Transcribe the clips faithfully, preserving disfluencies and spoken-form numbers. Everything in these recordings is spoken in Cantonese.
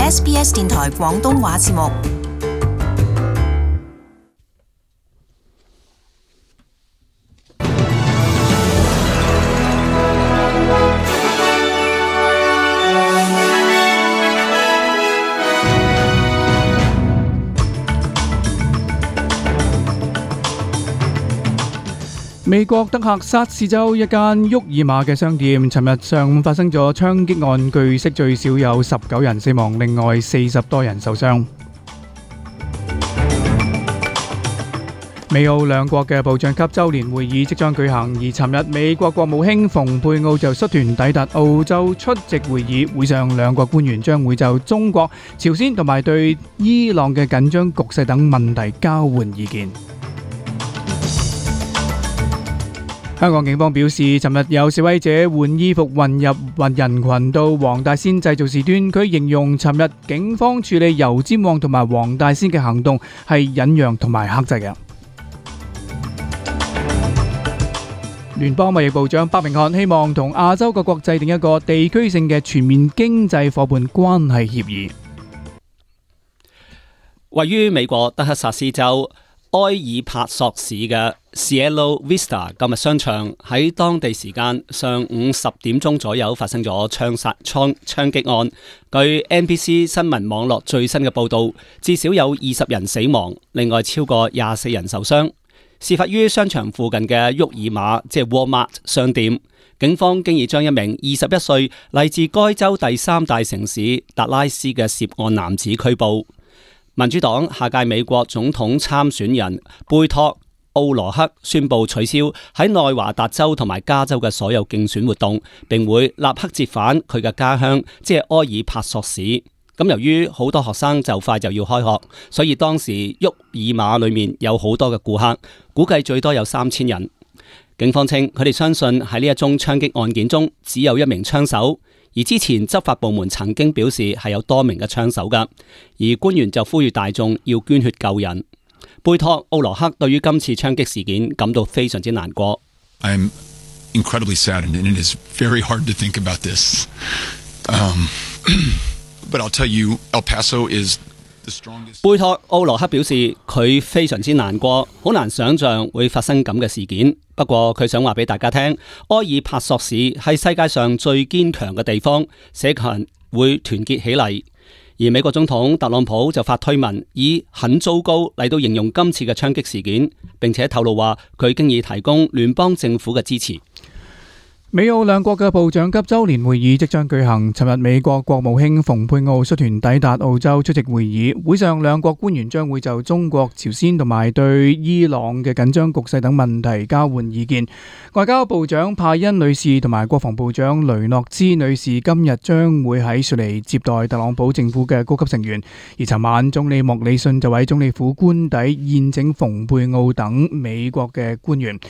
S B S 電台廣東話節目。美國德克薩斯州一間沃爾瑪嘅商店，尋日上午發生咗槍擊案，據悉最少有十九人死亡，另外四十多人受傷。美澳兩國嘅部長級周年會議即將舉行，而尋日美國國務卿蓬佩奧就率團抵達澳洲出席會議，會上兩國官員將會就中國、朝鮮同埋對伊朗嘅緊張局勢等問題交換意見。香港警方表示，尋日有示威者換衣服混入人群到黃大仙製造事端，佢形容尋日警方處理油尖旺同埋黃大仙嘅行動係忍讓同埋克制嘅。聯邦貿易部長白明漢希望同亞洲各國制定一個地區性嘅全面經濟夥伴關係協議。位於美國德克薩斯州埃爾帕索市嘅 Cielo Vista 購物商場喺當地時間上午十點鐘左右發生咗槍殺槍槍擊案。據 N B C 新聞網絡最新嘅報道，至少有二十人死亡，另外超過廿四人受傷。事發於商場附近嘅沃爾瑪，即係 Walmart 商店。警方經已將一名二十一歲嚟自該州第三大城市達拉斯嘅涉案男子拘捕。民主黨下屆美國總統參選人貝托奧羅克宣布取消喺內華達州同埋加州嘅所有競選活動，並會立刻折返佢嘅家鄉，即係埃爾帕索市。咁由於好多學生就快就要開學，所以當時沃爾瑪裏面有好多嘅顧客，估計最多有三千人。警方稱佢哋相信喺呢一宗槍擊案件中只有一名槍手。而之前執法部門曾經表示係有多名嘅槍手㗎，而官員就呼籲大眾要捐血救人。貝托奧羅克對於今次槍擊事件感到非常之難過。I'm incredibly saddened and it is very hard to think about this. Um, but I'll tell you, El Paso is the strongest. 貝托奧羅克表示佢非常之難過，好難想象會發生咁嘅事件。不過佢想話俾大家聽，埃爾帕索市係世界上最堅強嘅地方，社群會團結起嚟。而美國總統特朗普就發推文，以很糟糕嚟到形容今次嘅槍擊事件，並且透露話佢經已提供聯邦政府嘅支持。美澳兩國嘅部長級周年會議即將舉行，尋日美國國務卿蓬佩奧率團抵達澳洲出席會議，會上兩國官員將會就中國、朝鮮同埋對伊朗嘅緊張局勢等問題交換意見。外交部長派恩女士同埋國防部長雷諾茲女士今日將會喺雪梨接待特朗普政府嘅高級成員，而尋晚總理莫里遜就喺總理府官邸宴請蓬佩奧等美國嘅官員。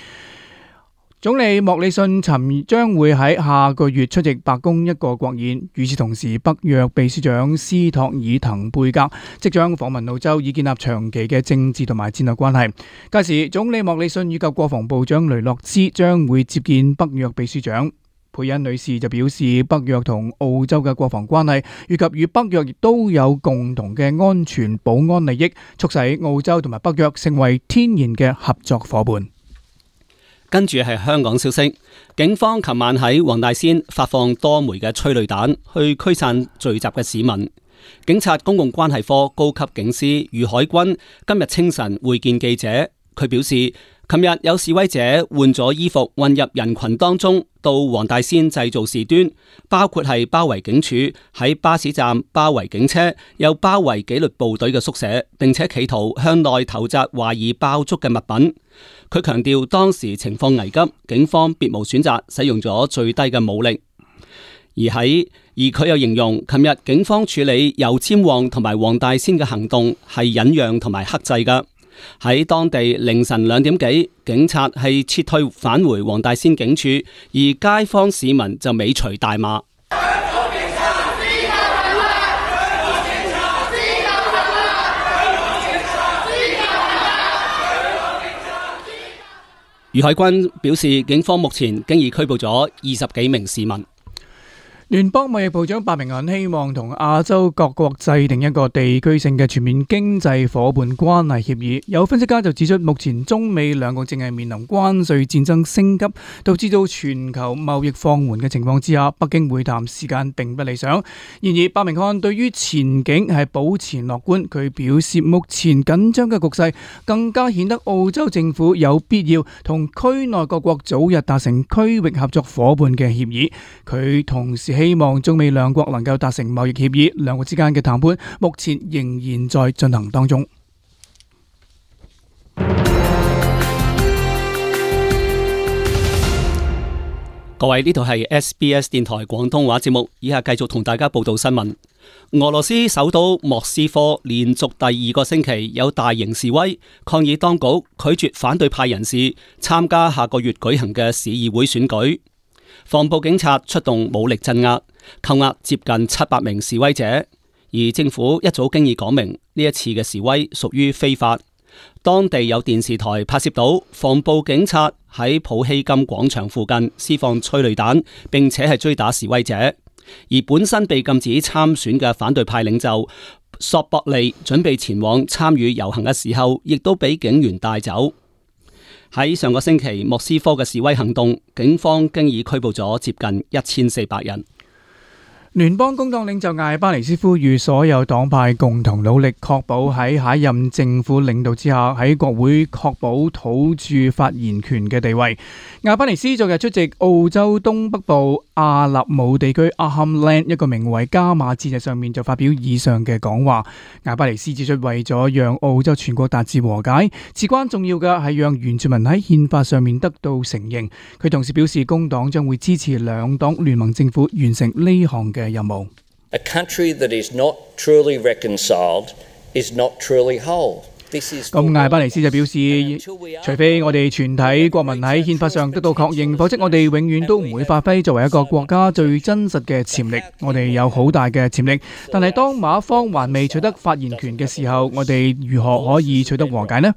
總理莫里遜尋將會喺下個月出席白宮一個國宴，與此同時，北約秘書長斯托爾滕貝格即將訪問澳洲，以建立長期嘅政治同埋戰略關係。屆時，總理莫里遜以及國防部長雷諾茲將會接見北約秘書長。佩恩女士就表示，北約同澳洲嘅國防關係，以及與北約亦都有共同嘅安全保安利益，促使澳洲同埋北約成為天然嘅合作夥伴。跟住係香港消息，警方琴晚喺黃大仙發放多枚嘅催淚彈去驅散聚集嘅市民。警察公共關係科高級警司余海軍今日清晨會見記者，佢表示，琴日有示威者換咗衣服混入人群當中，到黃大仙製造事端，包括係包圍警署，喺巴士站包圍警車，又包圍紀律部隊嘅宿舍，並且企圖向內投擲懷疑爆竹嘅物品。佢強調當時情況危急，警方別無選擇，使用咗最低嘅武力。而喺而佢又形容，琴日警方處理油尖旺同埋黃大仙嘅行動係忍讓同埋克制㗎。喺當地凌晨兩點幾，警察係撤退返回黃大仙警署，而街坊市民就尾隨大罵。余海軍表示，警方目前經已拘捕咗二十幾名市民。聯邦貿易部長白明漢希望同亞洲各國制定一個地區性嘅全面經濟夥伴關係協議。有分析家就指出，目前中美兩國正係面臨關稅戰爭升級，導致到全球貿易放緩嘅情況之下，北京會談時間並不理想。然而，白明漢對於前景係保持樂觀。佢表示，目前緊張嘅局勢更加顯得澳洲政府有必要同區內各國早日達成區域合作夥伴嘅協議。佢同時希望中美兩國能夠達成貿易協議，兩國之間嘅談判目前仍然在進行當中。各位，呢度係 S B S 電台廣東話節目，以下繼續同大家報道新聞。俄羅斯首都莫斯科連續第二個星期有大型示威，抗議當局拒絕反對派人士參加下個月舉行嘅市議會選舉。防暴警察出動武力鎮壓，扣押接近七百名示威者，而政府一早經已講明呢一次嘅示威屬於非法。當地有電視台拍攝到防暴警察喺普希金廣場附近施放催淚彈，並且係追打示威者。而本身被禁止參選嘅反對派領袖索博利準備前往參與遊行嘅時候，亦都俾警員帶走。喺上個星期莫斯科嘅示威行動，警方經已拘捕咗接近一千四百人。聯邦工黨領袖艾巴尼斯呼籲所有黨派共同努力，確保喺下一任政府領導之下，喺國會確保土著發言權嘅地位。艾巴尼斯昨日出席澳洲東北部阿納姆地區 Arnhem Land 一個名為加馬節日上面就發表以上嘅講話。艾巴尼斯指出，為咗讓澳洲全國達至和解，至關重要嘅係讓原住民喺憲法上面得到承認。佢同時表示，工黨將會支持兩黨聯盟政府完成呢項嘅任務。A country that is not truly reconciled is not truly whole. 咁艾巴尼斯就表示，除非我哋全體國民喺憲法上得到確認，否則我哋永遠都唔會發揮作為一個國家最真實嘅潛力。我哋有好大嘅潛力，但係當馬方還未取得發言權嘅時候，我哋如何可以取得和解呢？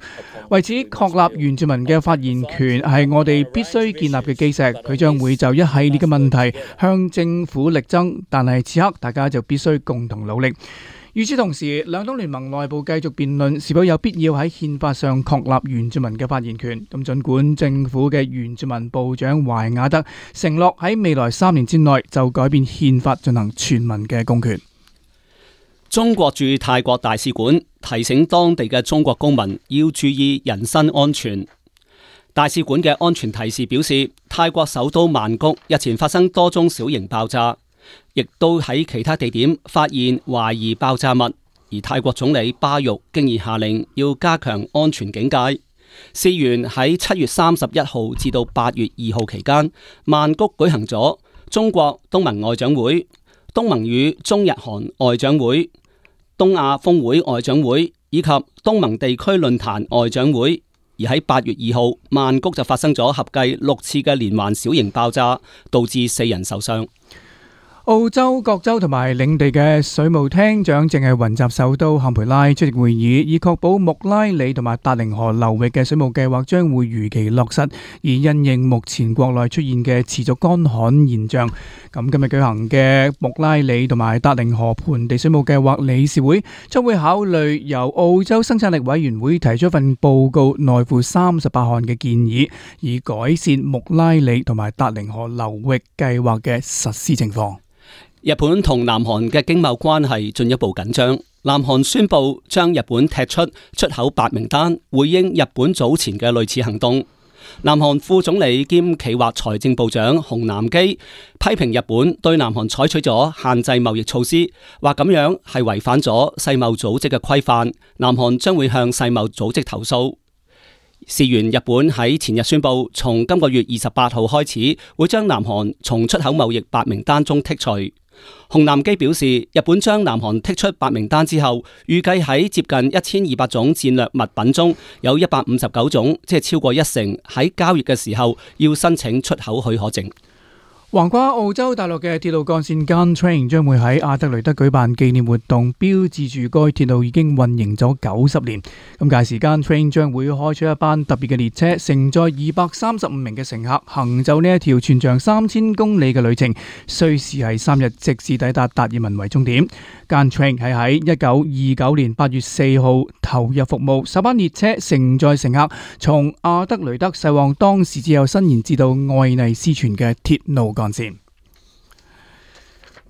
為此，確立原住民嘅發言權係我哋必須建立嘅基石。佢將會就一系列嘅問題向政府力爭，但係此刻大家就必須共同努力。與此同時，兩黨聯盟內部繼續辯論是否有必要喺憲法上確立原住民嘅發言權。咁儘管政府嘅原住民部長懷亞德承諾喺未來三年之內就改變憲法進行全民嘅公權。中國駐泰國大使館提醒當地嘅中國公民要注意人身安全。大使館嘅安全提示表示，泰國首都曼谷日前發生多宗小型爆炸，亦都喺其他地點發現懷疑爆炸物，而泰國總理巴育經已下令要加強安全警戒。事源喺七月三十一號至到八月二號期間，曼谷舉行咗中國東盟外長會、東盟與中日韓外長會、東亞峰會外長會以及東盟地區論壇外長會。而喺八月二號，曼谷就發生咗合計六次嘅連環小型爆炸，導致四人受傷。澳洲各州同埋領地嘅水務廳長正係雲集首都坎培拉出席會議，以確保穆拉里同埋達靈河流域嘅水務計劃將會如期落實。而因應目前國內出現嘅持續乾旱現象，咁今日舉行嘅穆拉里同埋達靈河盆地水務計劃理事會將會考慮由澳洲生產力委員會提出一份報告，內附三十八項嘅建議，以改善穆拉里同埋達靈河流域計劃嘅實施情況。日本同南韓嘅經貿關係進一步緊張，南韓宣布將日本踢出出口白名單，回應日本早前嘅類似行動。南韓副總理兼企劃財政部長洪南基批評日本對南韓採取咗限制貿易措施，話咁樣係違反咗世貿組織嘅規範，南韓將會向世貿組織投訴。事緣日本喺前日宣布，從今個月二十八號開始，會將南韓從出口貿易白名單中剔除。洪南基表示，日本將南韓剔出白名單之後，預計喺接近一千二百種戰略物品中，有一百五十九種，即係超過一成喺交易嘅時候要申請出口許可證。橫跨澳洲大陸嘅鐵路幹線 Gautrain 將會喺阿德雷德舉辦紀念活動，標誌住該鐵路已經運營咗九十年。咁屆時 Gautrain 將會開出一班特別嘅列車，承載二百三十五名嘅乘客，行走呢一條全長三千公里嘅旅程，需時係三日，直至抵達達爾文為終點。Gautrain 係喺一九二九年八月四號投入服務，首班列車承載乘客從阿德雷德駛往當時只有伸延至到愛麗斯泉嘅鐵路幹線。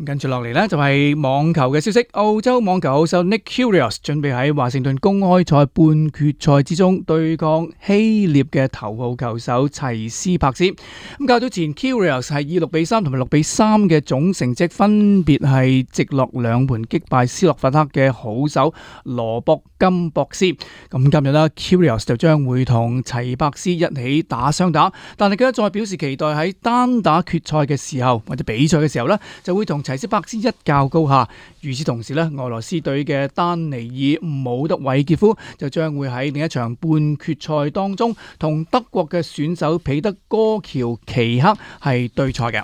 跟住落嚟呢，就係網球嘅消息，澳洲網球好手 Nick Kyrgios 準備喺華盛頓公開賽半決賽之中對抗希臘嘅頭號球手齊斯帕斯。咁較早前 Kyrgios 係以六比三同埋六比三嘅總成績分別係直落兩盤擊敗斯洛伐克嘅好手羅博金博斯。咁今日呢 Kyrgios 就將會同齊帕斯一起打雙打，但係佢再表示期待喺單打決賽嘅時候或者比賽嘅時候呢，就會同齊斯帕斯一較高下。與此同時呢，俄羅斯隊嘅丹尼爾姆德韋傑夫就將會喺另一場半決賽當中同德國嘅選手彼得哥喬奇克係對賽嘅。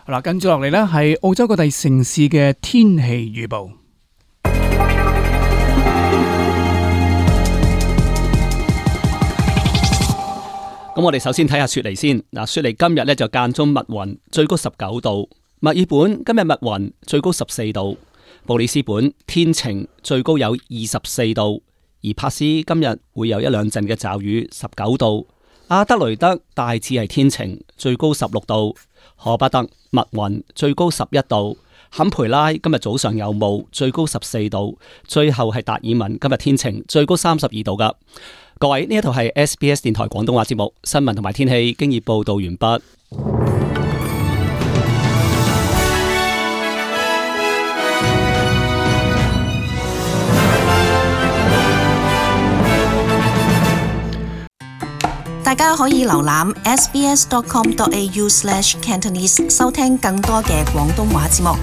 好啦，跟住落嚟呢係澳洲各地城市嘅天氣預報。咁我哋首先睇下雪梨先。嗱，雪梨今日呢就間中密雲，最高十九度。墨爾本今日密雲，最高十四度；布里斯本天晴，最高有二十四度；而珀斯今日會有一兩陣嘅驟雨，十九度；阿德雷德大致係天晴，最高十六度；荷伯特密雲，最高十一度；坎培拉今日早上有霧，最高十四度；最後係達爾文今日天晴，最高三十二度噶。各位，呢一套係 S B S 電台廣東話節目，新聞同埋天氣經已報道完畢。大家可以瀏覽 s b s dot com dot a u slash cantonese 收聽更多嘅廣東話節目。